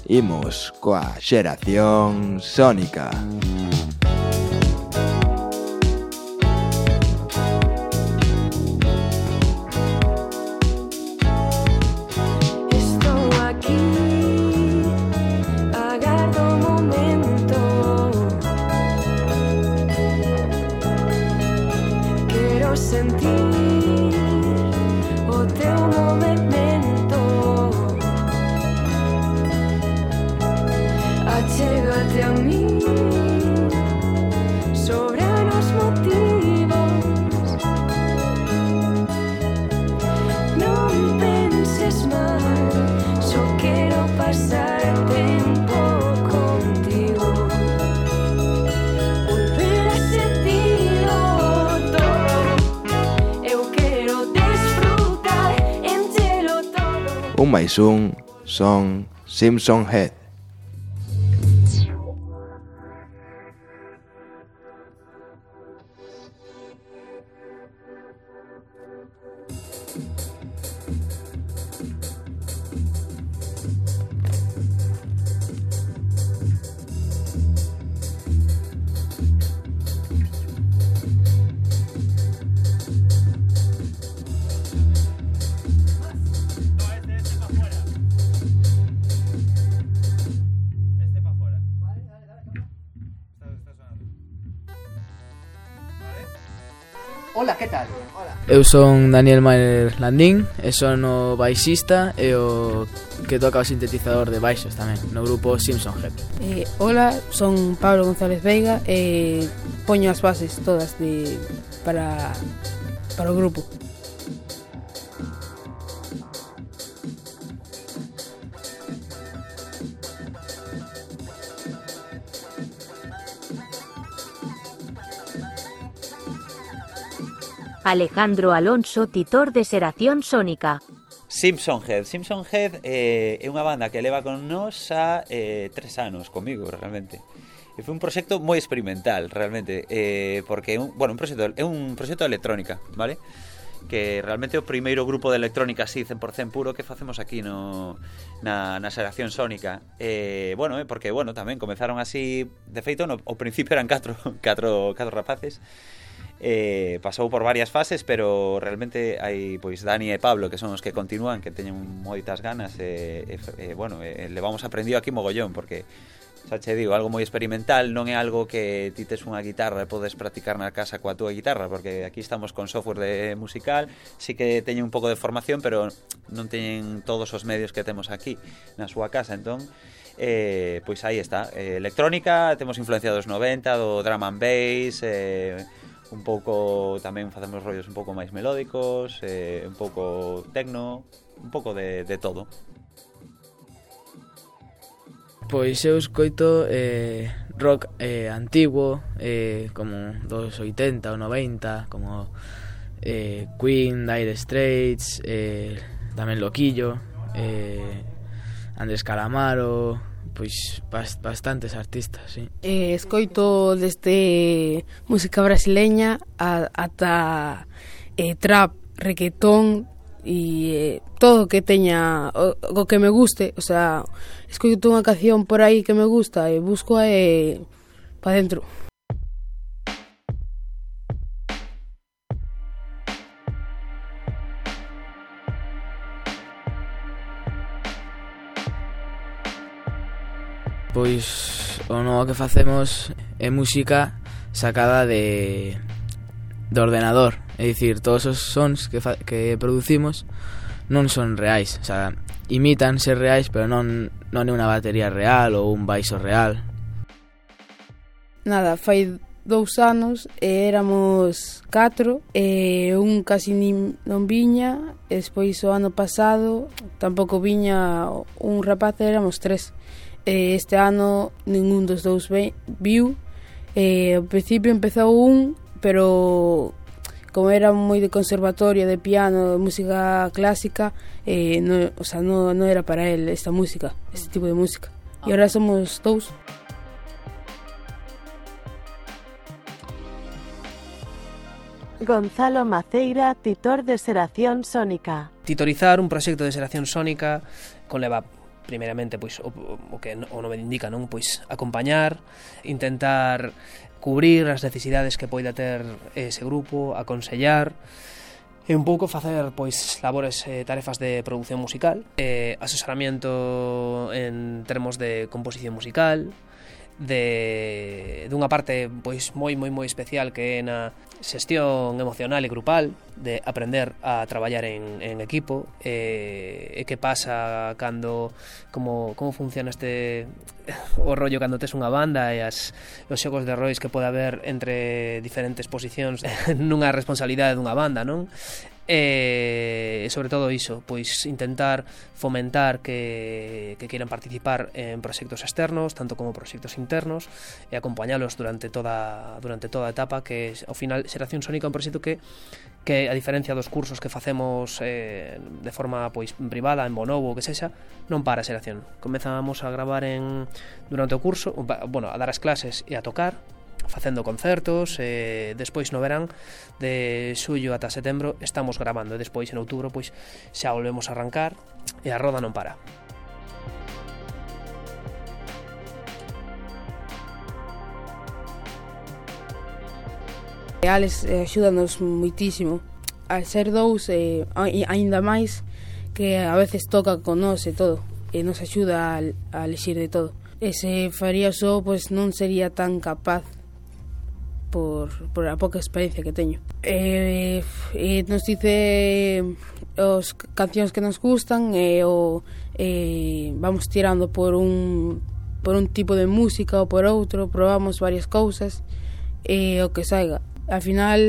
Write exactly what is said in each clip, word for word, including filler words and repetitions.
Imos coa xeración sónica. Un máis un son Simpson Head. Hola, que tal? Hola. Eu son Daniel Mayer Landín, e son o baixista e o que toca o sintetizador de baixos tamén, no grupo Simpson Head. Eh, hola, son Pablo González Veiga e poño as bases todas de para, para o grupo. Alejandro Alonso, titor de Xeración Sónica. Simpson Head. Simpson Head eh, é unha banda que leva con nós a eh, tres anos comigo, realmente. E foi un proxecto moi experimental, realmente, eh, porque é un, bueno, un proxecto, é un proxecto de electrónica, vale? Que realmente é o primeiro grupo de electrónica así cen por cen puro que facemos aquí no na, na Xeración Sónica. Eh, bueno, eh, porque, bueno, tamén comenzaron así, de feito, no, ao principio eran catro, catro, catro rapaces. Eh, pasou por varias fases, pero realmente hai pois Dani e Pablo que son os que continúan, que teñen moitas ganas e, e, e bueno, e, le vamos aprendido aquí mogollón, porque xa che digo, algo moi experimental, non é algo que ti tes unha guitarra e podes practicar na casa coa túa guitarra, porque aquí estamos con software de musical, sí que teñen un pouco de formación, pero non teñen todos os medios que temos aquí na súa casa, entón eh, pois aí está, eh, electrónica, temos influencia dos noventa, do drum and bass, eh, un pouco tamén facemos rollos un pouco máis melódicos, eh, un pouco tecno, un pouco de, de todo. Pois eu escoito eh, rock eh, antiguo, eh, como dos oitenta ou noventa, como eh, Queen, Dire Straits, eh, tamén Loquillo, eh, Andrés Calamaro, pois bastantes artistas, sí. Eh, escoito desde música brasileña a, ata eh, trap, reggaetón e eh, todo que teña o, o que me guste, o sea, escoito unha canción por aí que me gusta e busco e pa dentro. Pois o novo que facemos é música sacada de, de ordenador. É dicir, todos os sons que, fa, que producimos non son reais. O sea, imitan ser reais, pero non, non é unha batería real ou un baixo real. Nada, fai dous anos e éramos catro e un casi nin, non viña, e despois o ano pasado tampouco viña un rapaz, éramos tres. Este ano ningún dos dous viu. Eh, ao principio empezou un, pero como era moi de conservatorio, de piano, de música clásica, eh, no, o sea, no, no era para él esta música, este tipo de música. E agora somos dous. Gonzalo Maceira, titor de Xeración Sónica. Titorizar un proxecto de Xeración Sónica conleva primeiramente, pois o, o que o nome indica, non? Pois acompañar, intentar cubrir as necesidades que poida ter ese grupo, aconsellar, e un pouco facer pois labores e eh, tarefas de produción musical, eh, asesoramiento en termos de composición musical, de dunha parte pois moi moi moi especial que é na xestión emocional e grupal, de aprender a traballar en, en equipo, e, e que pasa cando como, como funciona este o rollo cando tes unha banda e as, os xogos de roles que pode haber entre diferentes posicións nunha responsabilidade dunha banda, non? E sobre todo iso, pois intentar fomentar que, que queiran participar en proxectos externos, tanto como proxectos internos, e acompañalos durante toda durante toda a etapa, que ao final Xeración Sónica é un proxecto que que a diferencia dos cursos que facemos eh, de forma pois privada, en Bonobo, que sexa, non para Xeración. Comezamos a gravar en durante o curso, bueno, a dar as clases e a tocar, facendo concertos, e despois no verán de xullo ata setembro estamos gravando, e despois en outubro pois xa volvemos a arrancar e a roda non para. Alex eh, axúdanos moitísimo. Al ser dous, eh, aínda máis que a veces toca con nós e todo, e nos axuda a, a elixir de todo. E se faría só, pois non sería tan capaz por, por a pouca experiencia que teño. E, e nos dice os cancións que nos gustan e o e vamos tirando por un por un tipo de música ou por outro, probamos varias cousas e o que saiga. Al final,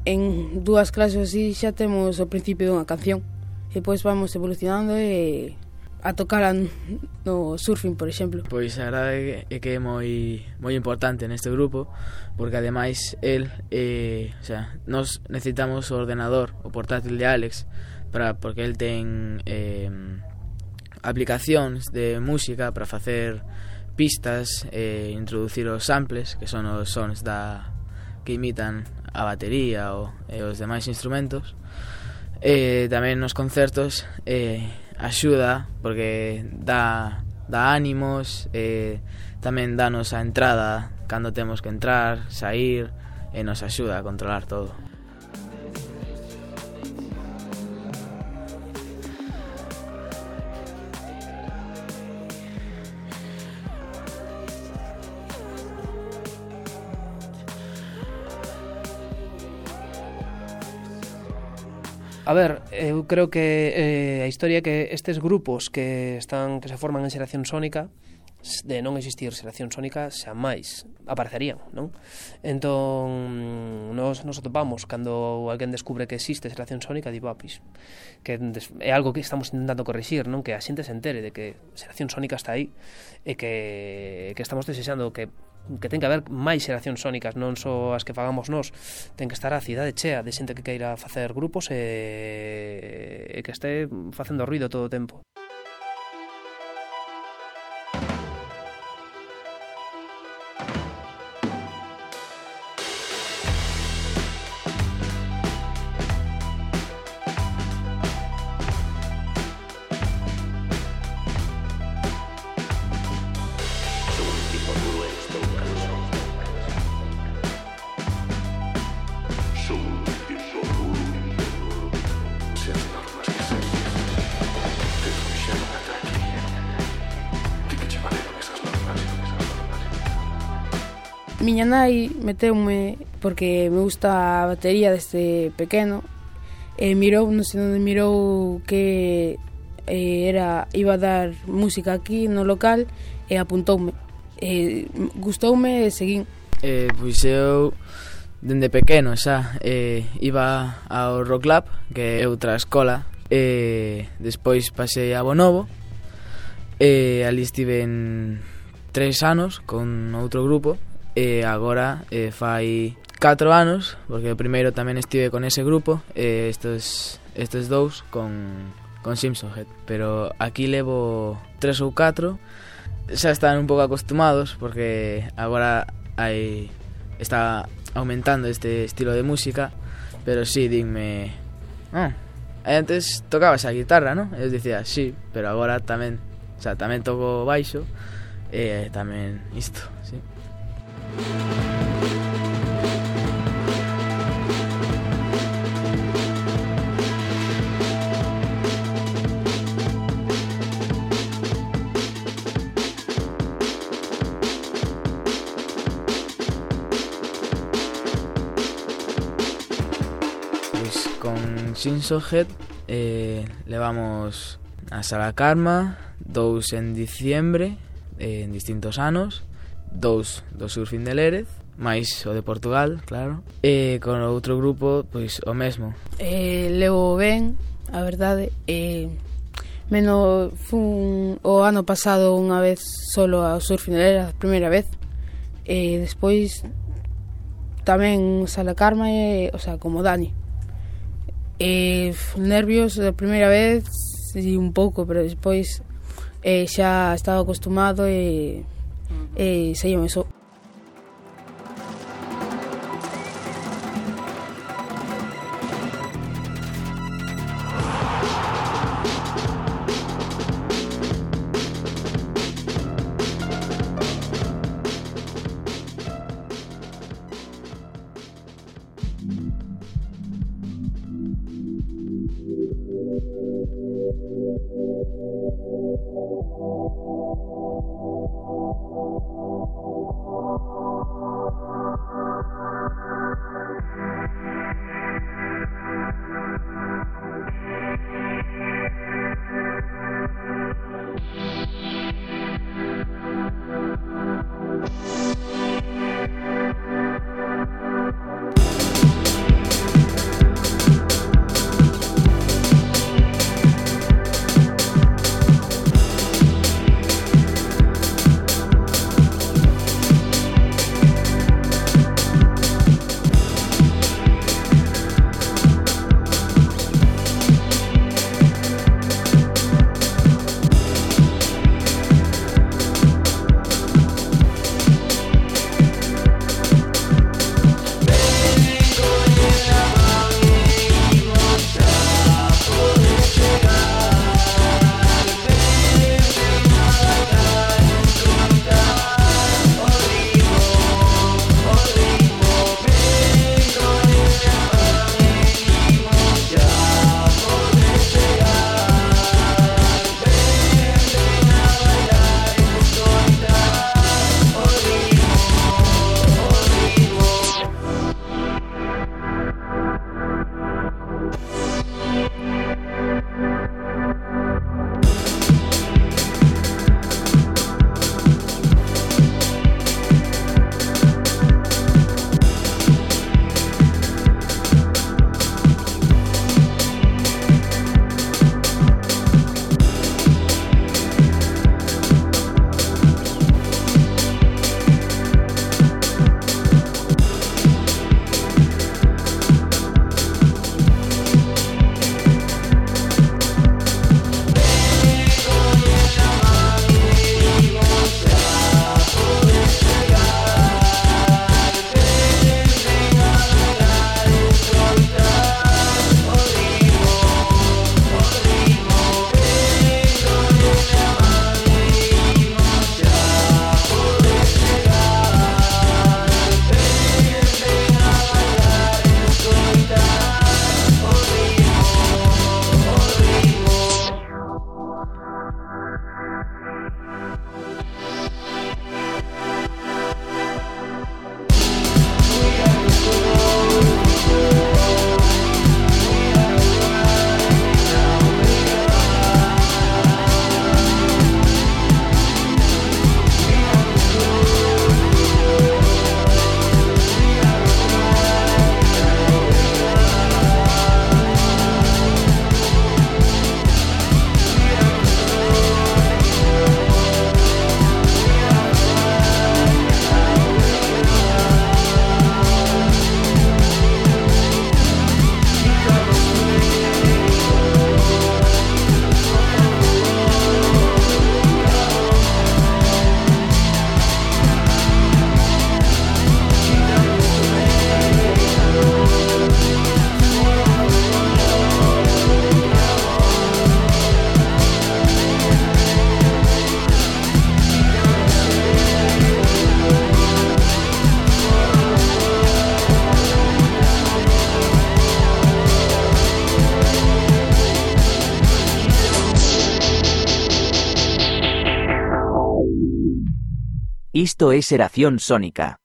en dúas clases así xa temos o principio dunha canción e depois vamos evolucionando e a tocar no surfing, por exemplo. Pois a verdade é que é moi moi importante neste grupo, porque ademais el eh, o sea, nos necesitamos o ordenador, o portátil de Alex, para porque el ten eh, aplicacións de música para facer pistas e eh, introducir os samples, que son os sons da que imitan a batería ou e os demais instrumentos. E tamén nos concertos eh, axuda porque dá, dá ánimos, e tamén danos a entrada cando temos que entrar, sair, e nos axuda a controlar todo. A ver, eu creo que eh, a historia é que estes grupos que están que se forman en Xeración Sónica, de non existir Xeración Sónica, xa máis aparecerían, non? Entón, nos, nos atopamos cando alguén descubre que existe Xeración Sónica, digo, ah, pois, que é algo que estamos intentando corrixir, non? Que a xente se entere de que Xeración Sónica está aí e que, que estamos desexando que que ten que haber máis xeracións sónicas, non só as que fagamos nós, ten que estar a cidade chea de xente que queira facer grupos e, e que este facendo ruido todo o tempo. Miña nai meteume porque me gusta a batería desde pequeno e mirou, non sei onde mirou que eh, era iba a dar música aquí no local e apuntoume. E gustoume e seguín. Eh, pois eu dende pequeno xa eh, iba ao Rock Lab, que é outra escola, e despois pasei a Bonobo e ali estive en tres anos con outro grupo. E agora eh, fai catro anos, porque o primeiro tamén estive con ese grupo, e estes, estes dous con, con Simpson Head. Pero aquí levo tres ou catro, xa están un pouco acostumados, porque agora hai, está aumentando este estilo de música, pero sí, dinme, ah, E antes tocabas a guitarra, non? E eu dicía, sí, pero agora tamén, o sea, tamén toco baixo e tamén isto, sí. Con Simpson Head eh, levamos a Sala Karma, dous en diciembre, eh, en distintos anos, dous do Surfing de Lérez, máis o de Portugal, claro, e con o outro grupo, pois o mesmo. Eh, levo ben, a verdade, eh, menos fun o ano pasado unha vez solo ao Surfing de Lérez, a primeira vez, e despois tamén Sala Karma, e, o sea, como Dani. E nervios da primeira vez e un pouco, pero despois eh, xa estaba acostumado e, e saíame só. Isto é Xeración Sónica.